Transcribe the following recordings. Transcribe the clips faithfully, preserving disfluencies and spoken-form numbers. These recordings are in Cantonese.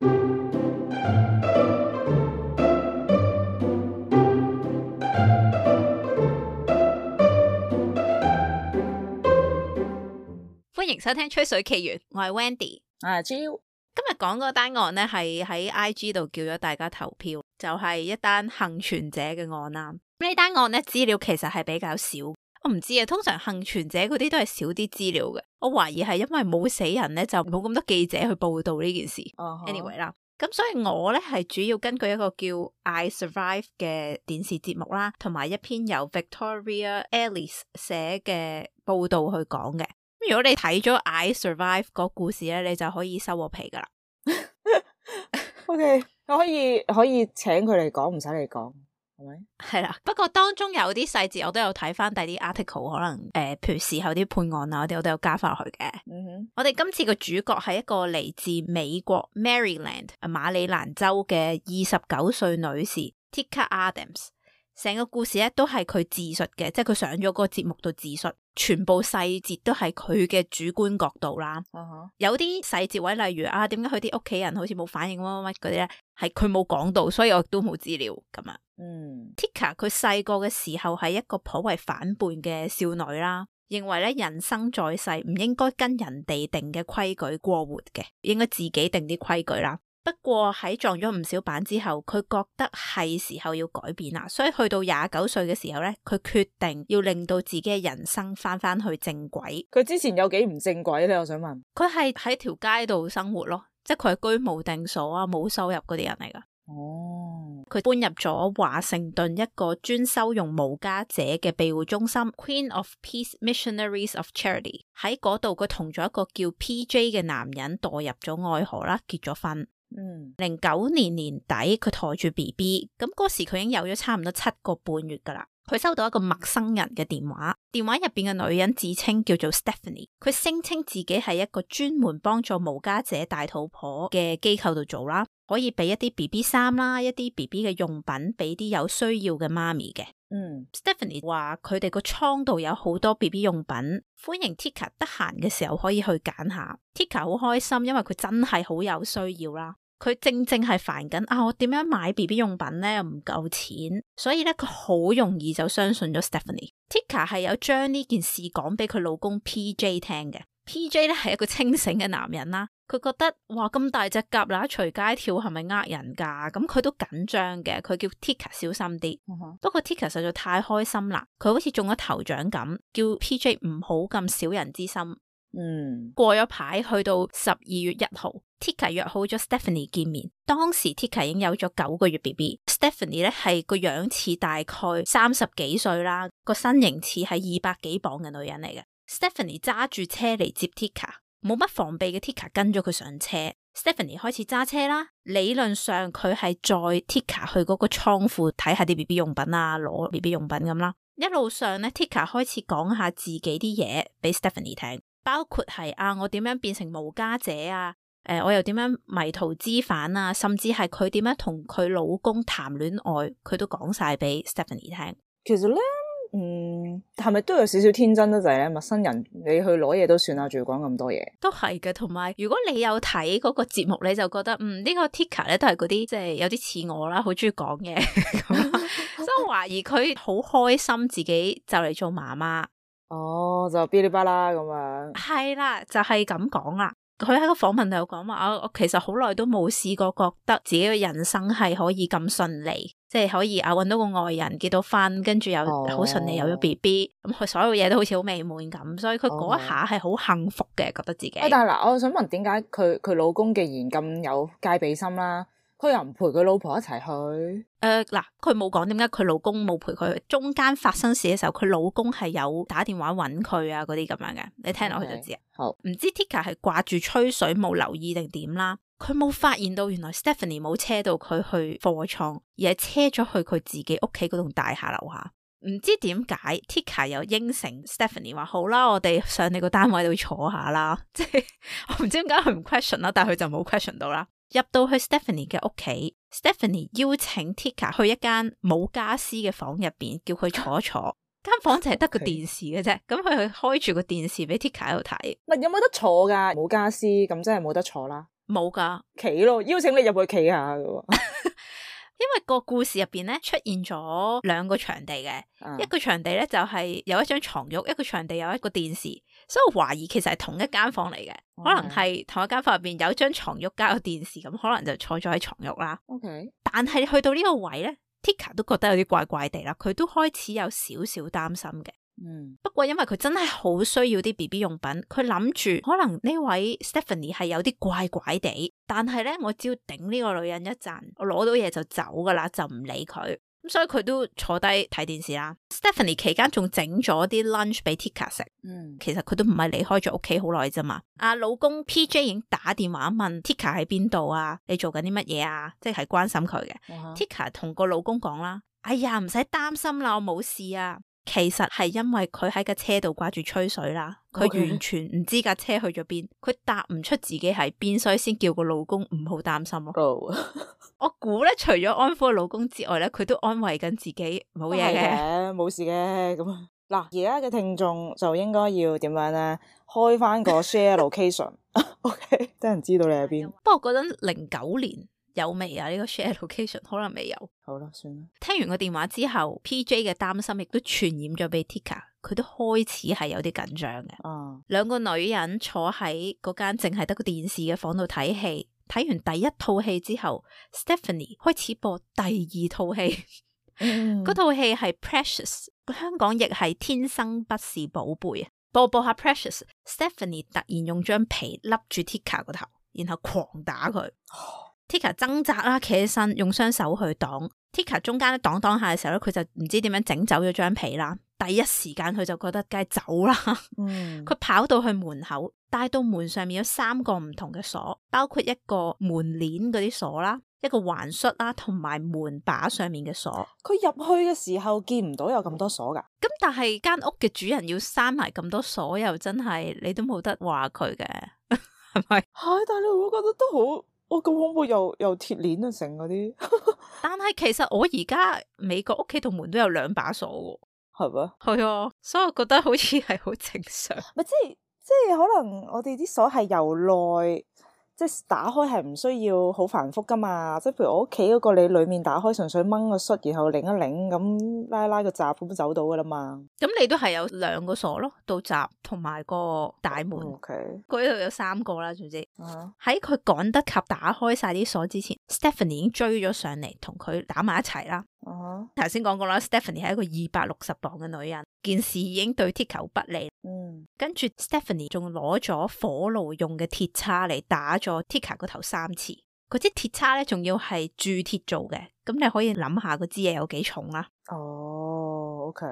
歡迎收聽吹水奇緣，我係 Wendy， 我係 Jill。今日講嗰單案呢係喺 I G 度叫咗大家投票，就係、是、一單幸存者嘅案啦。呢單案呢資料其實係比較少，我唔知啊。通常幸存者嗰啲都係少啲資料嘅，我懷疑係因為冇死人呢，就冇咁多記者去報道呢件事。Uh-huh. Anyway 啦，咁所以我呢係主要根據一個叫 I Survive 嘅電視節目啦，同埋一篇由 Victoria Ellis 寫嘅報道去講嘅。如果你睇咗 I Survive 個故事咧，你就可以收我皮噶啦。OK， 我可以可以請佢嚟講，唔使你講，係咪？係啦，不過當中有啲細節我都有睇翻第啲 article， 可能誒、呃，譬如事後啲判案啊，我哋我都有加翻落去嘅。嗯哼，我哋今次個主角係一個嚟自美國 Maryland 馬里蘭州嘅二十九歲女士 Tika Adams。成個故事咧都係佢自述嘅，即係佢上咗嗰個節目度自述，全部細節都係佢嘅主觀角度啦。Uh-huh. 有啲細節位，例如啊，點解佢啲屋企人好似冇反應乜乜乜嗰啲咧，係佢冇講到，所以我都冇資料咁啊。嗯 Tika 佢細個嘅時候係一個頗為反叛嘅少女啦，認為咧人生在世唔應該跟人哋定嘅規矩過活嘅，應該自己定啲規矩啦。不過喺撞咗唔少板之後，佢覺得係時候要改變啦，所以去到廿九歲嘅時候咧，佢決定要令到自己嘅人生翻翻去正軌。佢之前有幾唔正軌咧？我想問。佢係喺條街度生活咯，即係佢係居無定所啊，冇收入嗰啲人嚟噶。哦，佢搬入咗華盛頓一個專收容無家者嘅庇護中心 Queen of Peace Missionaries of Charity。喺嗰度佢同咗一個叫 P J 嘅男人墮入咗愛河啦，結咗婚。嗯，零九年年底佢抬住 B B， 咁嗰時佢已經有咗差唔多七個半月噶啦。佢收到一個陌生人嘅電話，電話入邊嘅女人自稱叫做 Stephanie， 佢聲稱自己係一個專門幫助無家者大肚婆嘅機構度做啦，可以俾一啲 B B 衫啦，一啲 B B 嘅用品俾啲有需要嘅媽咪嘅。嗯 Stephanie 話佢哋個倉度有好多 B B 用品，歡迎 Tika 得閒嘅時候可以去揀下。Tika 好開心，因為佢真係好有需要啦。佢正正係煩緊啊，我點樣買 B B 用品咧又唔夠錢，所以咧佢好容易就相信咗 Stephanie。Tika 係有將呢件事講俾佢老公 P J 聽嘅。P J 咧係一個清醒嘅男人啦，佢覺得哇咁大隻蛤乸隨街跳係咪呃人噶？咁佢都緊張嘅，佢叫 Tika 小心啲。Uh-huh. 不過 Tika 實在太開心啦，佢好似中咗頭獎咁，叫 P J 唔好咁小人之心。嗯，過咗排去到十二月一號 Tika 約好咗 Stephanie 見面。當時 Tika 已經有咗九個月 B B， Stephanie 咧係個樣似大概三十幾歲啦，個身形似係二百幾磅嘅女人嚟嘅。Stephanie 揸住車嚟接 Tika， 冇乜防備嘅 Tika 跟咗佢上車。Stephanie 開始揸車啦，理論上佢係載 Tika 去嗰個倉庫睇下啲 B B 用品啊，攞 B B 用品咁啦。一路上咧 Tika 開始講下自己啲嘢俾 Stephanie 聽。包括係啊，我點樣變成無家者啊？誒、呃，我又點樣迷途知返啊？甚至係佢點樣同佢老公談戀愛，佢都講晒俾 Stephanie 聽。其實咧，嗯，係咪都有少少天真得滯咧？陌生人你去攞嘢都算啦，仲要講咁多嘢，都係嘅。同埋，如果你有睇嗰個節目，你就覺得嗯、這個、呢個 Tika 咧都係嗰啲即係有啲似我啦，好中意講嘢咁，所以我懷疑佢好開心自己就嚟做媽媽。哦，就嗶哩吧啦咁樣，係啦，就係咁講啦。佢喺個訪問度有講話，我我其實好耐都冇試過覺得自己嘅人生係可以咁順利，即係可以啊搵到個愛人結到婚，跟住又好順利有咗 B B， 咁佢所有嘢都好似好美滿咁，所以佢嗰一下係好幸福嘅，覺得自己。但係嗱，我想問點解佢佢老公既然咁有戒備心啦？佢又唔陪佢老婆一齊去？誒、呃，嗱，佢冇講點解佢老公冇陪佢去。中間發生事嘅時候，佢老公係有打電話搵佢啊，嗰啲咁樣嘅，你聽落去就知啊。Okay. 好，唔知 Tika 係掛住吹水冇留意定點啦？佢冇發現到原來 Stephanie 冇車到佢去貨倉，而係車咗去佢自己屋企嗰棟大廈樓下。唔知點解 Tika 又應承 Stephanie 話好啦，我哋上你個單位度坐下啦。即係我唔知點解佢唔 question 啦，但係佢就冇 question 到啦。入到去 Stephanie 嘅屋企 ，Stephanie 邀請 Tika 去一間冇家私嘅房入邊，叫佢坐一坐。間房就係得個電視嘅啫，咁佢去開住個電視俾 Tika 喺度睇。唔係有冇得坐噶？冇家私咁真係冇得坐啦。冇噶，企咯，邀請你入去企下噶喎。因為個故事入邊咧出現咗兩個場地嘅，啊、一個場地咧就係、是、有一張床褥，一個場地有一個電視，所以我懷疑其實係同一間房嚟嘅，嗯、可能係同一間房入邊有張床褥加個電視，咁可能就坐咗喺床褥啦。OK，但係去到呢個位咧 Tika 都覺得有啲怪怪地啦，佢都開始有少少擔心嘅。嗯，不過因為佢真係好需要啲 B B 用品，佢諗住可能呢位 Stephanie 係有啲怪怪地，但係咧我只要頂呢個女人一陣，我攞到嘢就走噶啦，就唔理佢。咁所以佢都坐低睇電視啦。Stephanie 期間仲整咗啲 lunch 俾 Tika 食。嗯，其實佢都唔係離開咗屋企好耐啫嘛。阿老公 P J 已經打電話問 Tika 喺邊度啊？你做緊啲乜嘢啊？即係關心佢嘅。Uh huh. Tika 同個老公講啦：哎呀，唔使擔心啦，我冇事啊。其實係因為佢喺架車度掛住吹水啦，佢 Okay. 完全唔知架車去咗邊，佢答唔出自己喺邊，所以先叫個老公唔好擔心咯。Oh. 我估咧，除咗安撫個老公之外咧，佢都安慰緊自己冇嘢嘅，冇事嘅。咁嗱，而家嘅聽眾就應該要點樣咧？開翻個 share location，OK， 等人知道你喺邊。不過嗰陣零九年。有未啊？呢、這個 share location 可能未有。好啦，算啦。聽完個電話之後 P J 嘅擔心亦都傳染咗俾 Tika， 佢都開始係有啲緊張嘅。哦，兩個女人坐喺嗰間淨係得個電視嘅房度睇戲，睇完第一套戲之後 Stephanie 開始播第二套戲。嗰套戲係 Precious， 香港亦係天生不是寶貝啊！播播下 Precious， Stephanie 突然用張被笠住 Tika 個頭，然後狂打佢。Tika 掙扎啦，企起身，用雙手去擋。Tika 中間咧擋擋下嘅時候咧，佢就唔知點樣整走咗張被啦。第一時間佢就覺得梗係走啦。嗯，佢跑到去門口，帶到門上面有三個唔同嘅鎖，包括一個門鏈嗰啲鎖啦，一個環恤啦，同埋門把上面嘅鎖。佢入去嘅時候見唔到有咁多鎖噶。咁但係間屋嘅主人要閂埋咁多鎖，又真係你都冇得話佢嘅，係咪？係，但係你會覺得都好。我咁恐怖，又又鐵鏈啊，成嗰啲。但係其實我而家美國屋企度門都有兩把鎖喎，係咩嗎？係啊，所以我覺得好似係好正常。咪即係即係可能我哋啲鎖係由內。即係打開係唔需要好繁複噶嘛，即係譬如我屋企嗰個你裏面打開純粹掹個恤，然後擰一擰咁拉拉個閘咁走到噶啦嘛。咁你都係有兩個鎖咯，到閘同埋個大門。O K，嗰度有三個啦，總之喺佢趕得及打開晒啲鎖之前 ，Stephanie 已經追咗上嚟同佢打埋一齊啦。頭先講過啦 ，Stephanie 係一個二百六十磅嘅女人，件事已經對 Tika 不利。嗯，跟住 Stephanie 仲攞咗火爐用嘅鐵叉嚟打咗 Tika 個頭三次。嗰支鐵叉咧，仲要係鑄鐵做嘅，咁你可以諗下嗰支嘢有幾重啦。哦 ，OK。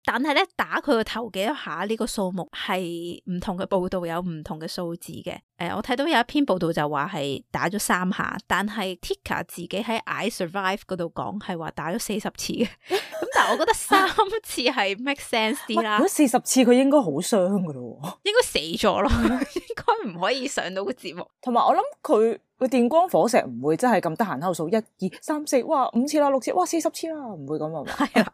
但係咧，打佢個頭幾多下呢個數目係唔同嘅報道有唔同嘅數字嘅。誒、呃，我睇到有一篇報道就話係打咗三下，但係 Tika 自己喺 I Survive 嗰度講係話打咗四十次嘅。咁但係我覺得三次係 make sense 啲啦。如果四十次佢應該好傷噶咯，應該死咗咯，應該唔可以上到個節目。同埋我諗佢個電光火石唔會真係咁得閒喺度數一二三四，哇五次啦六次，哇四十次啦，唔會咁啊嘛。係啊，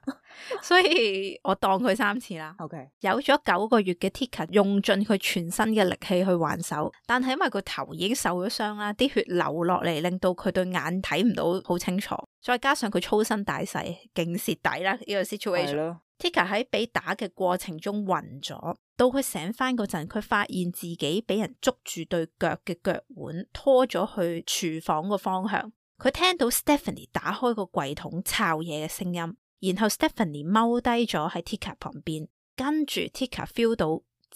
所以我當佢三次啦。OK，有咗九個月嘅 Tika 用盡佢全身嘅力氣去還手，但係因為個頭已經受咗傷啦，啲血流落嚟，令到佢對眼睇唔到好清楚，再加上佢粗身大細，勁蝕底啦呢個 situation。Tika 喺被打嘅過程中暈咗，到佢醒翻嗰陣，佢發現自己俾人捉住對腳嘅腳腕，拖咗去廚房個方向。佢聽到 Stephanie 打開個櫃桶抄嘢嘅聲音，然後 Stephanie 踎低咗喺 Tika 旁邊，跟住 Tika feel 到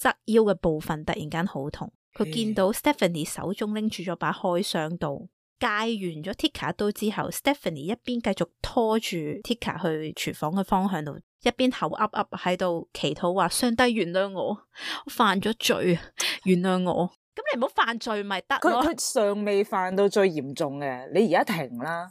側腰嘅部分突然間好痛。佢見到 Stephanie 手中拎住咗把開傷刀，戒完咗 Tika 一刀之後 Stephanie 一邊繼續拖住 Tika 去廚房嘅方向度，一邊口噏噏喺度祈禱話：上帝原諒我，我犯咗罪，原諒我。咁你唔好犯罪咪得咯？佢佢尚未犯到最嚴重嘅，你而家停啦，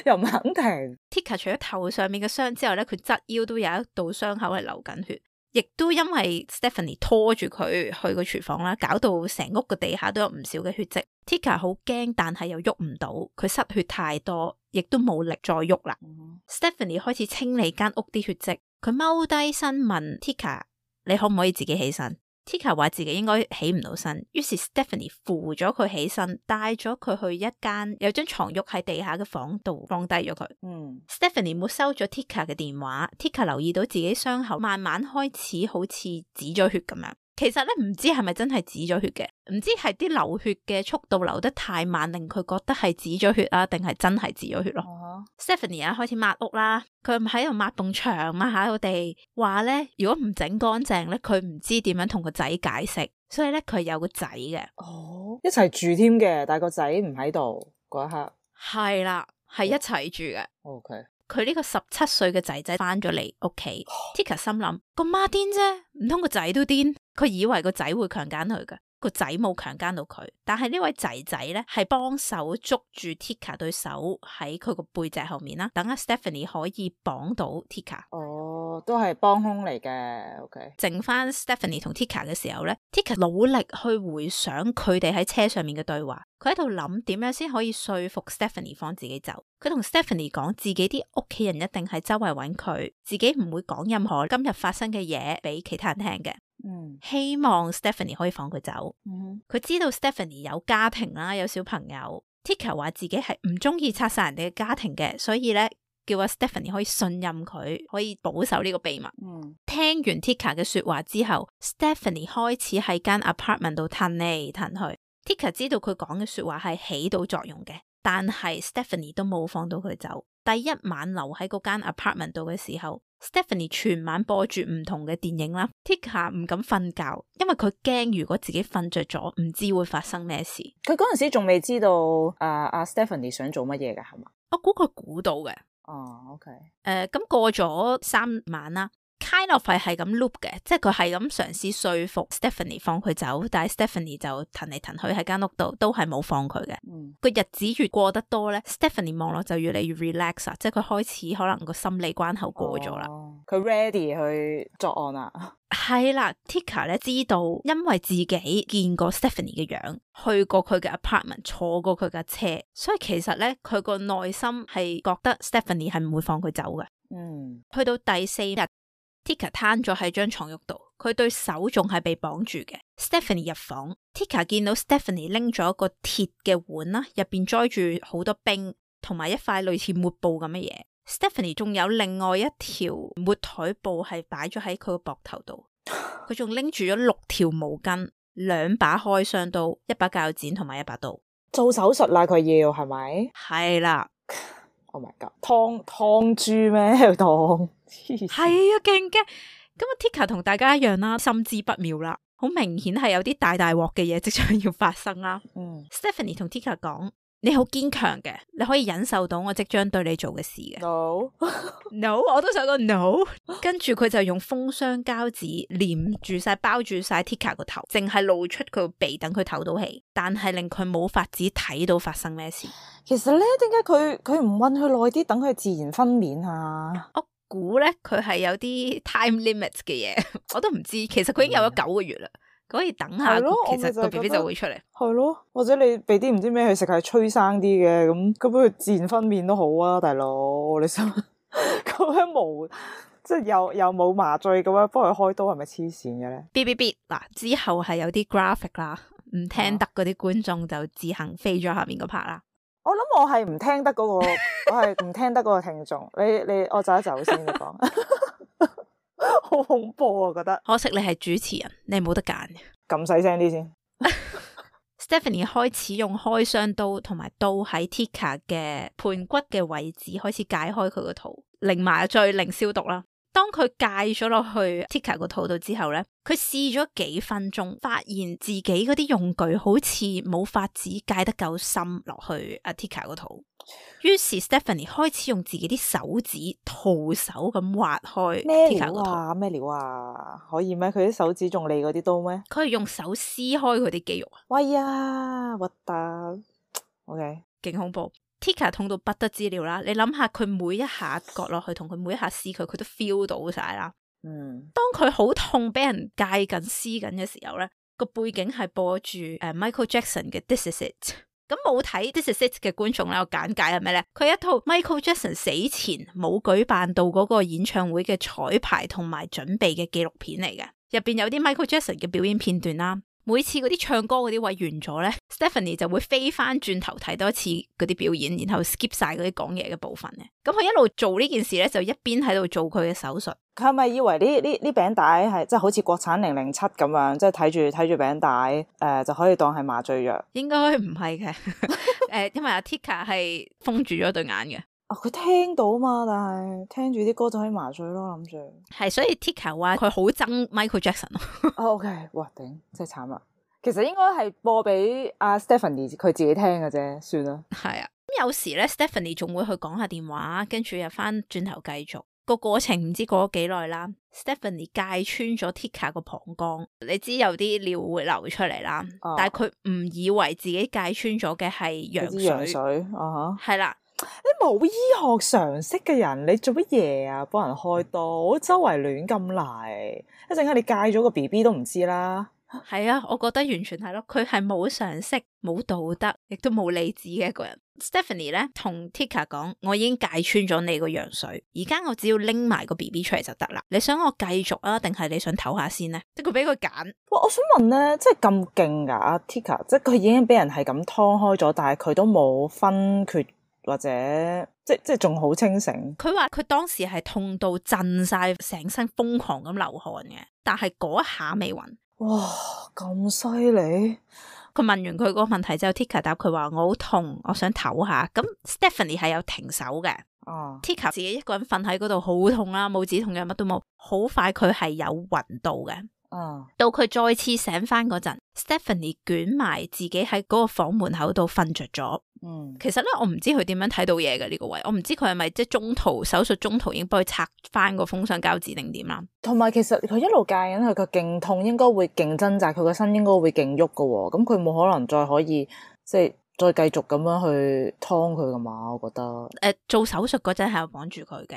又唔肯停。Tika 除咗頭上面嘅傷之後咧，佢側腰都有一道傷口係流緊血，亦都因為 Stephanie 拖住佢去個廚房啦，搞到成屋個地下都有唔少嘅血跡。Tika 好驚，但係又喐唔到，佢失血太多，亦都冇力再喐啦。嗯、Stephanie 開始清理間屋啲血跡，佢踎低身問 Tika：你可唔可以自己起身？ Tika 話自己應該起唔到身，於是 Stephanie 扶咗佢起身，帶咗佢去一間有張床褥喺地下嘅房度放低咗佢。嗯 Stephanie 沒收咗 Tika 嘅電話。Tika 留意到自己傷口慢慢開始好似止咗血咁樣。其實咧唔知係咪真係止咗血嘅，唔知係啲流血嘅速度流得太慢，令佢覺得係止咗血啊，定係真係止咗血咯。Uh huh. Stephanie 啊開始抹屋啦，佢喺度抹埲牆，抹下個地，話咧如果唔整乾淨咧，佢唔知點樣同個仔解釋，所以咧佢有個仔嘅。哦，一齊住添嘅，但係個仔唔喺度嗰一刻。係啦，係一齊住嘅。OK。佢呢個十七歲嘅仔仔翻咗嚟屋企，Tika 心諗個媽癲啫，唔通個仔都癲？佢以為個仔會強姦佢嘅，個仔冇強姦到佢，但係呢位仔仔咧係幫手捉住 Tika 對手喺佢個背脊後面啦，等阿 Stephanie 可以綁到 Tika。哦，都係幫兇嚟嘅。OK。剩翻 Stephanie 同 Tika 嘅時候咧 ，Tika 努力去回想佢哋喺車上面嘅對話。佢喺度諗點樣先可以說服 Stephanie 放自己走。佢同 Stephanie 講自己啲屋企人一定係周圍揾佢，自己唔會講任何今日發生嘅嘢俾其他人聽嘅。嗯，希望 Stephanie 可以放佢走。嗯，佢知道 Stephanie 有家庭啦，有小朋友。Tika 話自己係唔中意拆散人哋嘅家庭嘅，所以咧叫阿 Stephanie 可以信任佢，可以保守呢個秘密。嗯，聽完 Tika 嘅說話之後 ，Stephanie 開始喺間 apartment 度褪嚟褪去。Tika 知道佢講嘅說話係起到作用嘅，但係 Stephanie 都冇放到佢走。第一晚留喺嗰間 apartment 度嘅時候 ，Stephanie 全晚播住唔同嘅電影啦。Tika 唔敢瞓覺，因為佢驚如果自己瞓着咗，唔知會發生咩事。佢嗰陣時仲未知道阿阿、uh, uh, Stephanie 想做乜嘢㗎，係嘛？我估佢估到嘅。哦、oh, ，OK。誒、呃，咁過咗三晚啦。Kind of 係咁 loop 嘅，即係佢係咁嘗試說服 Stephanie 放佢走，但係 Stephanie 就騰嚟騰去喺間屋度，都係冇放佢嘅。嗯，個日子越過得多咧 ，Stephanie 望落就越嚟越 relax 啊，即係佢開始可能個心理關口過咗啦。佢、哦、ready 去作案啦。係啦 ，Tika 咧知道，因為自己見過 Stephanie 嘅樣，去過佢嘅 apartment， 坐過佢架車，所以其實咧佢個內心係覺得 Stephanie 係唔會放佢走嘅。嗯，去到第四日。Tika 攤咗喺張床褥度，佢對手仲係被綁住嘅。Stephanie 入房 ，Tika 見到 Stephanie 拎咗一個鐵嘅碗啦，入邊載住好多冰，同埋一塊類似抹布咁嘅嘢。Stephanie 仲有另外一條抹台布係擺咗喺佢個膊頭度，佢仲拎住咗六條毛巾、兩把開箱刀、一把鉸剪同埋一把刀。做手術啦，佢要係咪？係啦。Oh my god！劏劏豬咩？當係啊，勁驚！咁啊 ，Tika 同大家一樣啦，心知不妙啦，好明顯係有啲大大鑊嘅嘢即將要發生啦。嗯 ，Stephanie 同 Tika 講：你好堅強嘅，你可以忍受到我即將對你做嘅事嘅。No，No， 我都想講 no。跟住佢就用封箱膠紙黏住晒、包住晒 Tika 個頭，淨係露出佢個鼻，等佢唞到氣，但係令佢冇法子睇到發生咩事。其實咧，點解佢佢唔韞佢耐啲，等佢自然分娩啊？我估咧，佢係有啲 time limit 嘅嘢，我都唔知。其實佢已經有咗九個月啦，佢可以等下，其實個 B B 就會出嚟。係咯，或者你俾啲唔知咩佢食，係催生啲嘅，咁咁佢自然分娩都好啊，大佬。你想咁樣冇，即係又又冇麻醉咁樣幫佢開刀，係咪黐線嘅咧 ？B B B 嗱，之後係有啲 graphic 啦，唔聽得嗰啲觀眾就自行飛咗下面嗰 part 啦。我諗我係唔聽得嗰、嗰個，我係唔聽得嗰個聽眾。你你我走一走先，你講，好恐怖啊！我覺得可惜你係主持人，你冇得揀嘅。咁細聲啲先。Stephanie 開始用開箱刀同埋刀喺 Tika 嘅盤骨嘅位置開始解開佢個肚，零麻醉零消毒啦。當佢戒咗落去 Tika 個肚度之後咧，佢試咗幾分鐘，發現自己嗰啲用具好似冇法子戒得夠深落去阿 Tika 個肚。於是 Stephanie 開始用自己啲手指徒手咁挖開 Tika 個肚。咩料啊？咩料啊？可以咩？佢啲手指仲利過啲刀咩？佢係用手撕開佢啲肌肉啊！喂呀，核突 ！OK， 勁恐怖。Tika 痛到不得之了啦，你諗下佢每一下割落去同佢每一下撕佢，佢都 feel 到晒啦。嗯，當佢好痛俾人戒緊撕緊嘅時候咧，個背景係播住誒、uh, Michael Jackson 嘅 This Is It。咁冇睇 This Is It 嘅觀眾咧，我簡介係咩咧？佢係一套 Michael Jackson 死前冇舉辦到嗰個演唱會嘅彩排同埋準備嘅紀錄片嚟嘅。入邊有啲 Michael Jackson 嘅表演片段啦。每次嗰啲唱歌嗰啲位完咗咧 ，Stephanie 就會飛翻轉頭睇多一次嗰啲表演，然後 skip 晒嗰啲講嘢嘅部分嘅。咁佢一路做呢件事咧，就一邊喺度做佢嘅手術。佢係咪以為呢呢呢餅帶係即係好似國產零零七咁樣，即係睇住睇住餅帶誒、呃、就可以當係麻醉藥？應該唔係嘅，誒，因為阿 Tika 係封住咗對眼嘅。哦，佢聽到嘛，但係聽住啲歌就可以麻醉咯，諗住。係，所以 Tika 話佢好憎 Michael Jackson 咯。哦 OK，哇頂，真係慘啊！其實應該係播俾阿 Stephanie 佢自己聽嘅啫，算啦。係啊，咁有時咧 Stephanie 仲會去講下電話，跟住又翻轉頭繼續。個過程唔知過咗幾耐啦 ，Stephanie 戒穿咗 Tika 個膀胱，你知有啲尿會流出嚟啦，哦、但係佢唔以為自己戒穿咗嘅係羊水，羊水，啊哈，係啦。你冇醫學常識嘅人，你做乜嘢啊？幫人開刀，周圍亂咁嚟，一陣間你戒咗個 B B 都唔知啦。係啊，我覺得完全係咯，佢係冇常識、冇道德，亦都冇理智嘅一個人。Stephanie 咧同 Tika 講，我已經戒穿咗你個羊水，而家我只要拎埋個 B B 出嚟就得啦。你想我繼續啊，定係你想唞下先咧？即係佢俾佢揀。哇，我想問咧，即係咁勁噶阿 Tika，即係佢已經俾人係咁劏開咗，但係佢都冇分缺或者即即係仲好清醒。佢話佢當時係痛到震晒，成身瘋狂咁流汗嘅，但係嗰一下未暈。哇，咁犀利！佢問完佢嗰個問題之後 Tika 答佢話我好痛，我想唞下。咁 Stephanie 係有停手嘅。哦、啊、Tika 自己一個人瞓喺嗰度好痛啦，冇止痛藥乜都冇。好快佢係有暈到嘅。哦、啊，到佢再次醒翻嗰陣 Stephanie 捲埋自己喺嗰個房門口度瞓着咗。嗯，其實咧我唔知佢點樣睇到嘢嘅呢個位，我唔知佢係咪即係中途手術中途已經幫佢拆翻個封箱膠紙定點啦。同埋其實佢一路戒緊，佢個勁痛應該會勁掙扎，佢個身應該會勁喐噶，咁佢冇可能再可以即係再繼續咁樣去劏佢噶嘛？我覺得誒、呃，做手術嗰陣係有綁住佢嘅，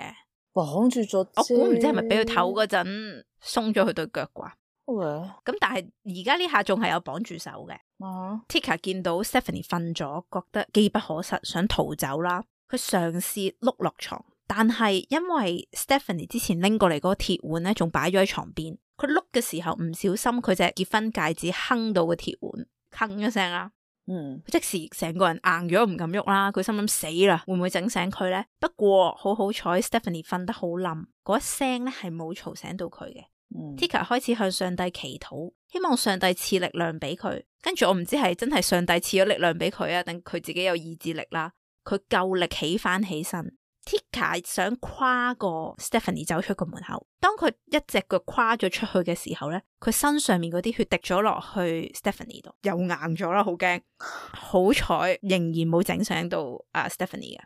綁住咗。我估唔知係咪俾佢唞嗰陣鬆咗佢對腳啩？咁 Okay. 但係而家呢下仲係有綁住手嘅。Uh huh. Tika 見到 Stephanie 瞓咗，覺得機不可失，想逃走啦。佢嘗試碌落床，但係因為 Stephanie 之前拎過嚟嗰個鐵碗咧，仲擺咗喺床邊。佢碌嘅時候唔小心，佢隻結婚戒指鏗到個鐵碗，鏗一聲啦。嗯，即時成個人硬咗，唔敢喐啦。佢心諗死啦，會唔會整醒佢咧？不過好好彩 Stephanie 瞓得好冧，嗰一聲咧係冇嘈醒到佢嘅。嗯、Tika 開始向上帝祈禱，希望上帝賜力量俾佢。跟住我唔知係真係上帝賜咗力量俾佢啊，定佢自己有意志力啦。佢夠力起翻起身。Tika 想跨過 Stephanie 走出個門口，當佢一隻腳跨咗出去嘅時候咧，佢身上面嗰啲血滴咗落去 Stephanie 度，又硬咗啦，好驚。好彩仍然冇整醒到啊 Stephanie 嘅。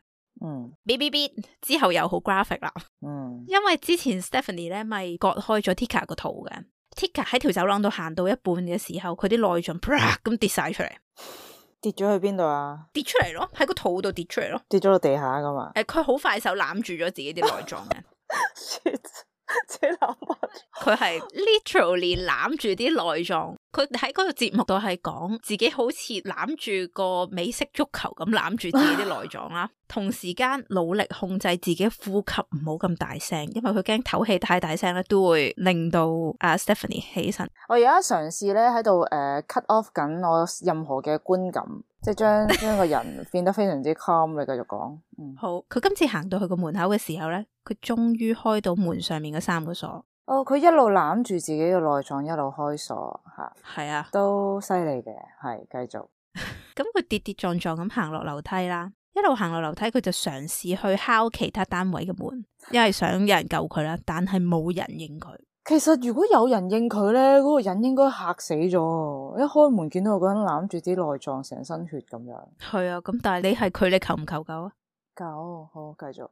嗯 ，B B B 之後又好 graphic 啦。嗯，因為之前 Stephanie 咧咪割開咗 Tika 個肚嘅 ，Tika 喺條走廊度行到一半嘅時候，佢啲內臟啪咁跌晒出嚟，跌咗去邊度啊？跌出嚟咯，喺個肚度跌出嚟咯，跌咗落地下噶嘛？誒、呃，佢好快手攬住咗自己啲內臟嘅。自己攬佢係 literally 攬住啲內臟。佢喺嗰個節目度係講自己好似攬住個美式足球咁攬住自己啲內臟啦，同時間努力控制自己呼吸唔好咁大聲，因為佢驚唞氣太大聲咧都會令到阿 Stephanie 起身。我而家嘗試咧喺度誒 cut off 緊我任何嘅觀感，即係將將個人變得非常之 calm。你繼續講。嗯，好。佢今次行到去個門口嘅時候咧，佢終於開到門上面嘅三個鎖。哦，佢一路攬住自己嘅內臟，一路開鎖吓，係啊，都犀利嘅，係繼續。咁佢跌跌撞撞咁行落樓梯啦，一路行落樓梯，佢就嘗試去敲其他單位嘅門，因為想有人救佢啦，但係冇人應佢。其實如果有人應佢咧，嗰、嗰個人應該嚇死咗。一開門見到個人攬住啲內臟，成身血咁樣。係啊，咁但係你係佢，你求唔求救啊？救，好，繼續。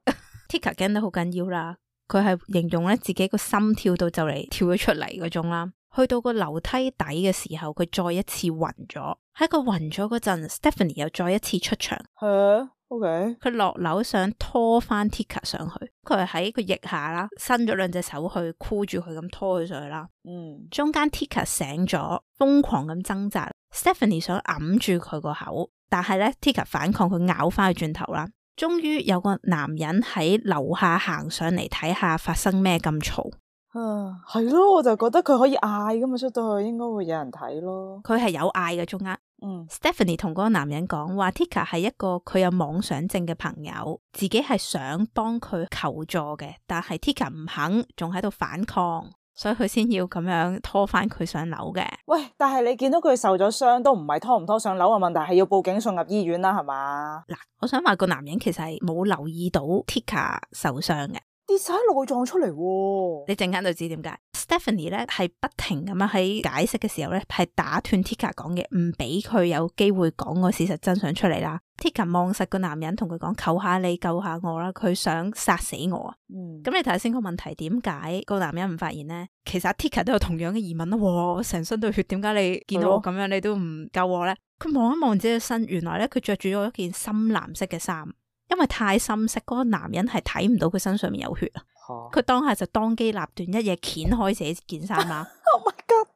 Tika 驚得好緊要啦。佢係形容咧自己個心跳到就嚟跳咗出嚟嗰種啦，去到個樓梯底嘅時候，佢再一次暈咗。喺佢暈咗嗰陣 ，Stephanie 又再一次出場。係啊 ，OK。佢落樓想拖翻 Tika 上去，佢係喺佢腋下啦，伸咗兩隻手去箍住佢咁拖佢上去啦。嗯，中間 Tika 醒咗，瘋狂咁掙扎 ，Stephanie 想揞住佢個口，但係咧 Tika 反抗，佢咬翻去轉頭啦。終於有個男人喺樓下行上嚟睇下發生咩咁嘈。啊，係咯，我就覺得佢可以嗌噶嘛，出到去應該會有人睇咯。佢係有嗌嘅中間。嗯 Stephanie 同嗰個男人講話 Tika 係一個佢有妄想症嘅朋友，自己係想幫佢求助嘅，但係 Tika 唔肯，仲喺度反抗，所以佢先要咁樣拖翻佢上樓嘅。喂，但係你見到佢受咗傷，都唔係拖唔拖上樓嘅問題，係要報警送入醫院啦，係嘛？嗱，我想話個男人其實係冇留意到 Tika 受傷嘅。跌晒內臟出嚟喎，你陣間就知點解。Stephanie 咧係不停咁樣喺解釋嘅時候咧，係打斷 Tika 講嘅，唔俾佢有機會講個事實真相出嚟啦。Tika 望實個男人，同佢講：求下你救下我啦，佢想殺死我啊！嗯，咁你睇下先個問題，點解個男人唔發現呢？其實 Tika 都有同樣嘅疑問啦。哇，我成身都血，點解你見到我咁樣，你都唔救我咧？佢望一望自己嘅身，原來咧佢着住咗一件深藍色嘅衫。因為太深色，嗰個男人係睇唔到佢身上面有血啊！佢當下就當機立斷，一嘢掀開自己件衫啦。Oh my god！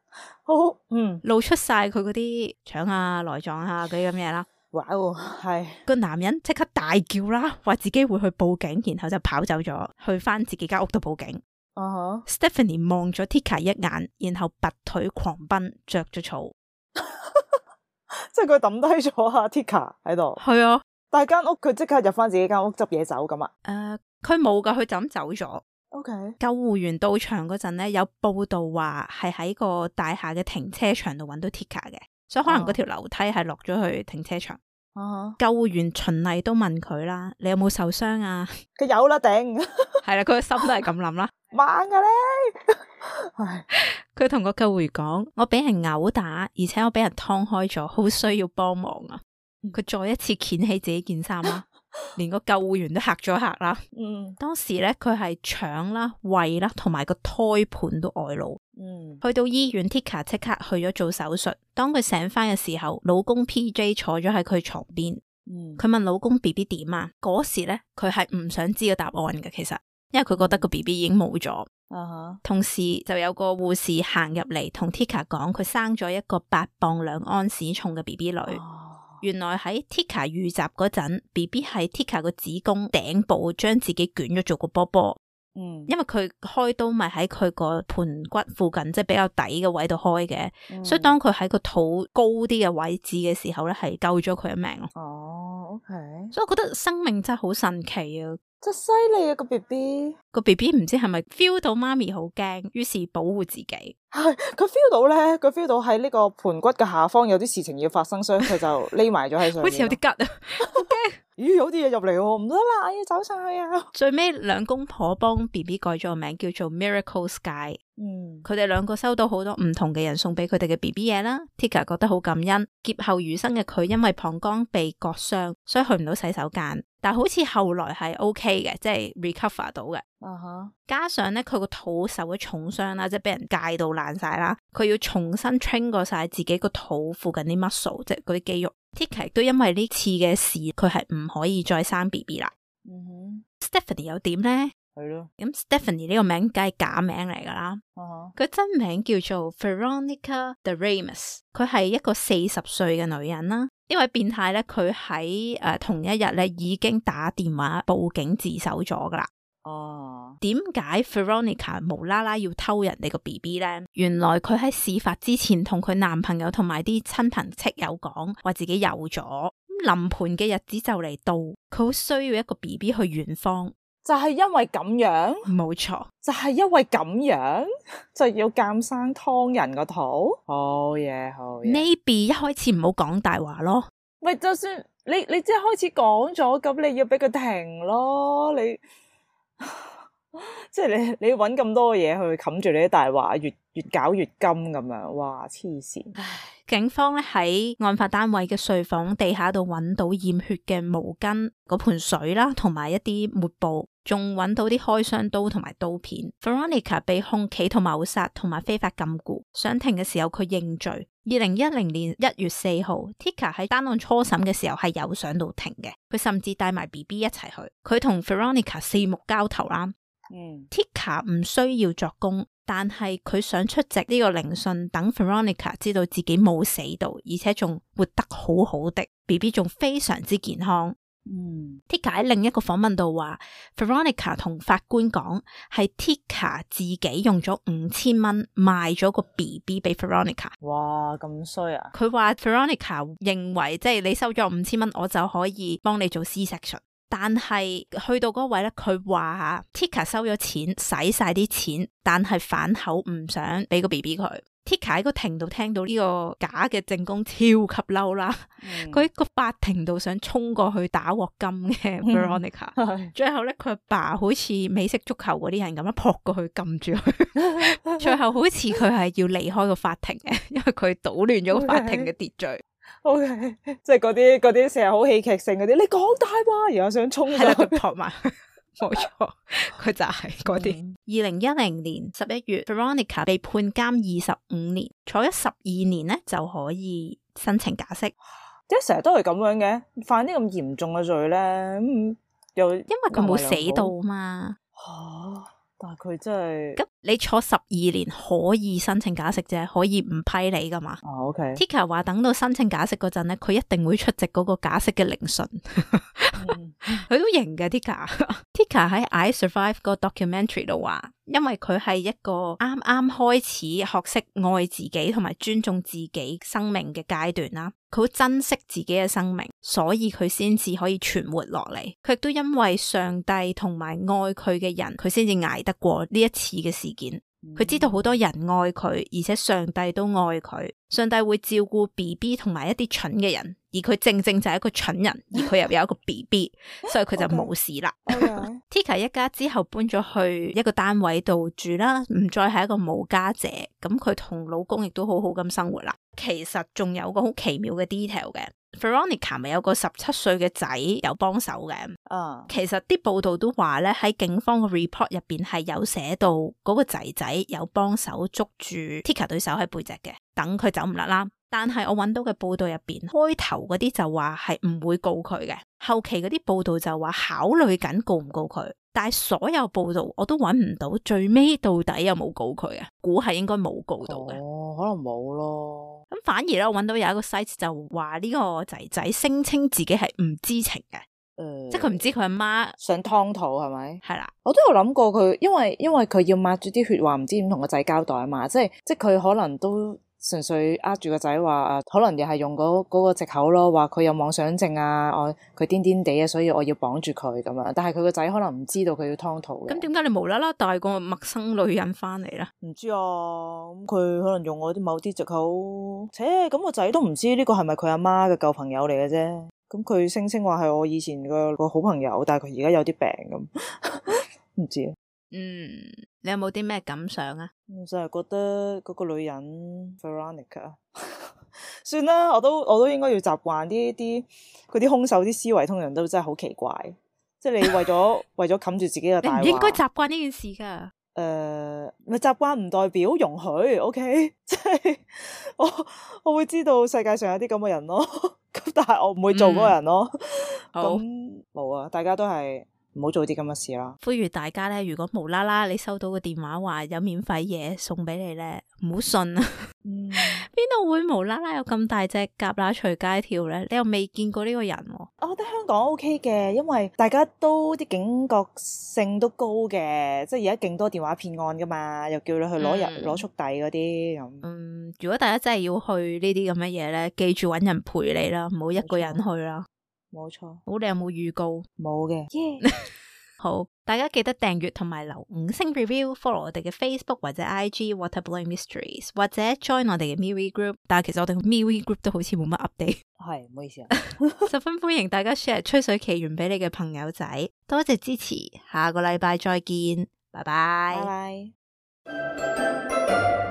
好，嗯，露出晒佢嗰啲腸啊、內臟啊嗰啲咁嘢啦。哇哦，係個男人即刻大叫啦，話自己會去報警，然後就跑走咗，去翻自己間屋度報警。啊哈 Stephanie 望咗 Tika 一眼，然後拔腿狂奔，着咗草。即係佢抌低咗阿 Tika 喺度。係啊。但係間屋佢即刻入翻自己間屋執嘢走咁啊？誒，佢冇噶，佢就咁走咗。OK。救護員到場嗰陣咧，有報道話係喺個大廈嘅停車場度揾到 Tika 嘅，所以可能嗰條樓梯係落咗去停車場。Uh-huh. 救護員循例都問佢啦：你有冇受傷啊？佢有啦，頂。係啦，佢個心都係咁諗啦。猛噶咧！佢同個救護員講：我俾人毆打，而且我俾人劏開咗，好需要幫忙啊！佢再一次掀起自己件衫啦，連個救護員都嚇咗一嚇啦。嗯，當時咧佢係腸啦、胃啦同埋個胎盤都外露。嗯，去到醫院 Tika 即刻去咗做手術。當佢醒翻嘅時候，老公 P J 坐咗喺佢床邊。嗯，佢問老公 B B 點啊？嗰時咧佢係唔想知個答案嘅，其實因為佢覺得個 B B 已經冇咗。Uh-huh. 同時就有個護士行入嚟同 Tika 講，佢生咗一個八磅兩安士重嘅 B B 女。Uh-huh. 原來喺 Tika 遇襲嗰陣 B B 喺 Tika 個子宮頂部將自己捲咗做個波波。嗯，因為佢開刀咪喺佢個盆骨附近，即係比較底嘅位度開嘅。嗯，所以當佢喺個肚高啲嘅位置嘅時候咧，係救咗佢一命咯。哦 OK，所以我覺得生命真係好神奇啊！真犀利啊！個 B B 個 B B 唔知係咪 feel 到媽咪好驚，於是保護自己。係佢 feel 到咧，佢 feel 到喺呢個盆骨嘅下方有啲事情要發生，所以佢就匿埋咗喺上面。好似有啲吉啊！好驚！咦，有啲嘢入嚟喎，唔得啦，要走上去啊！最尾兩公婆幫 B B 改咗個名，叫做 Miracle Sky。嗯，佢哋兩個收到好多唔同嘅人送俾佢哋嘅 B B 嘢啦。Tika 覺得好感恩。劫後餘生嘅佢，因為膀胱被割傷，所以去唔到洗手間。但好似後來係 OK 嘅，即係 recover 到嘅。Uh-huh. 加上咧，佢個肚受咗重傷啦，即係俾人戒到爛晒啦。佢要重新 train 過晒自己個肚附近啲 muscle，即係嗰啲肌肉。Tika 都因為呢次嘅事，佢係唔可以再生 B B 啦。Uh-huh. Stephanie 又點咧？係咯。咁 Stephanie 呢個名梗係假名嚟噶啦。佢、uh-huh. 真名叫做 Veronica de Ramos， 佢係一個四十歲嘅女人啦。呢位變態咧，佢喺誒同一日咧已經打電話報警自首咗噶啦。哦，點解 Veronica 無啦啦要偷人哋個 B B 咧？原來佢喺事發之前同佢男朋友同埋啲親朋戚友講，話自己有咗。咁臨盆嘅日子就嚟到，佢好需要一個 B B 去遠方。就係因為咁樣，冇錯，就係因為咁樣就要監生劏人個肚。好嘢，好嘢。Maybe 一開始唔好講大話咯。咪就算你你即係開始講咗，咁你要俾佢停咯。你即係你你揾咁多嘢去冚住你啲大話，越越搞越金咁樣，哇黐線！警方咧喺案發單位嘅睡房地下度揾到染血嘅毛巾、嗰盆水啦，同埋一啲抹布，仲揾到啲開箱刀同埋刀片。Veronica 被控企圖謀殺同埋非法禁錮，上庭嘅時候佢認罪。二零一零年一月四號 Tika 喺單案初審嘅時候係有上到庭嘅，佢甚至帶埋 B B 一齊去，佢同 Veronica 四目交投啦。嗯，Tika 唔需要作供，但係佢想出席呢個聆訊，等 Veronica 知道自己冇死到，而且仲活得好好的 ，B B 仲非常之健康。嗯 Tika 喺另一個訪問度話 Veronica 同法官講係 Tika 自己用咗五千蚊賣咗個 B B 俾 Veronica。哇，咁衰啊！佢話 Veronica 認為即係你收咗五千蚊，我就可以幫你做 C-section。但係去到嗰位咧，佢話 Tika 收咗錢，使晒啲錢，但係反口唔想俾個 B B 佢。Tika 喺個庭度聽到呢個假嘅證供，超級嬲啦！佢喺、嗯、個法庭度想衝過去打鑊金嘅 Veronica，、嗯、最後咧佢阿爸好似美式足球嗰啲人咁樣撲過去撳住佢，最後好似佢係要離開個法庭嘅，因為佢搗亂咗個法庭嘅秩序。O K， 即係嗰啲嗰啲成日好戲劇性嗰啲，你講大話，然後想衝上去撲埋。冇錯，佢就係嗰啲。二零一零年十一月 Veronica 被判監二十五年，坐咗十二年咧就可以申請假釋。點解成日都係咁樣嘅？犯啲咁嚴重嘅罪咧，咁又因為佢冇死到嘛。吓，但係佢真係咁，你坐十二年可以申請假釋啫，可以唔批你噶嘛？哦 OK。Tika 話等到申請假釋嗰陣咧，佢一定會出席嗰個假釋嘅聆訊。佢都型嘅 Tika。Tika 喺 I Survive 個 documentary 度話，因為佢係一個啱啱開始學識愛自己同埋尊重自己生命嘅階段啦，佢好珍惜自己嘅生命，所以佢先至可以存活落嚟。佢亦都因為上帝同埋愛佢嘅人，佢先至捱得過呢一次嘅事件。佢知道好多人愛佢，而且上帝都愛佢。上帝會照顧 B B 同埋一啲蠢嘅人，而佢正正就係一個蠢人，而佢又有一個 B B， 所以佢就冇事啦。Okay. Tika 一家之後搬咗去一個單位度住啦，唔再係一個無家者。咁佢同老公亦都好好咁生活啦。其實仲有個好奇妙嘅 detail 嘅。Veronica 咪有個十七歲嘅仔有幫手嘅，啊，其實啲報道都話咧，喺警方嘅 report 入邊係有寫到嗰個仔仔有幫手捉住 Tika 對手喺背脊嘅，等佢走唔甩啦。但係我揾到嘅報道入邊，開頭嗰啲就話係唔會告佢嘅，後期嗰啲報道就話考慮緊告唔告佢，但係所有報道我都揾唔到最尾到底有冇告佢嘅，估係應該冇告到嘅。哦，可能冇咯。咁反而咧，我揾到有一個 site 就話呢個仔仔聲稱自己係唔知情嘅，誒、呃，即係佢唔知佢阿媽想劏肚係咪？係啦，我都有諗過佢，因為因為佢要抹住啲血，話唔知點同個仔交代啊嘛，即係即係佢可能都純粹呃住個仔話，可能又係用嗰嗰個藉口咯，話佢有妄想症啊，我佢癲癲地啊，所以我要綁住佢咁樣。但係佢個仔可能唔知道佢要劏肚嘅。咁點解你無啦啦帶個陌生女人翻嚟咧？唔知啊，咁佢可能用我啲某啲藉口。切，咁個仔都唔知呢個係咪佢阿媽嘅舊朋友嚟嘅啫。咁佢聲稱話係我以前個個好朋友，但係佢而家有啲病咁，唔知啊。嗯，你有冇啲咩感想啊？我就係覺得嗰個女人 Veronica 算啦，我都我都應該要習慣啲啲嗰啲兇手啲思維，通常都真係好奇怪。即係你為咗為咗冚住自己嘅大話，你唔應該習慣呢件事噶。誒，咪習慣唔代表容許 ，OK？ 即係我我會知道世界上有啲咁嘅人咯，咁但係我唔會做嗰個人咯。咁冇啊，大家都係唔好做啲咁嘅事啦。呼籲大家咧，如果無啦啦你收到個電話話有免費嘢送俾你咧，唔好信啊！邊度、嗯、會無啦啦有咁大隻蛤乸隨街跳咧？你又未見過呢個人、啊？我覺得香港 OK 嘅，因為大家都啲警覺性都高嘅，即係而家勁多電話騙案噶嘛，又叫你去攞入攞速遞嗰啲咁。嗯，如果大家真係要去呢啲咁嘅嘢咧，記住搵人陪你啦，唔好一個人去啦。冇錯。好，你有冇預告？冇嘅。Yeah. 好，大家記得訂閱同埋留五星 review，follow 我哋嘅 Facebook 或者 I G Waterblowing Mysteries， 或者 join 我哋嘅 MeWe Group。但係其實我哋嘅 MeWe Group 都好似冇乜 update。係，唔好意思啊。十分歡迎大家 share 吹水奇緣俾你嘅朋友仔，多謝支持，下個禮拜再見，拜拜。拜拜。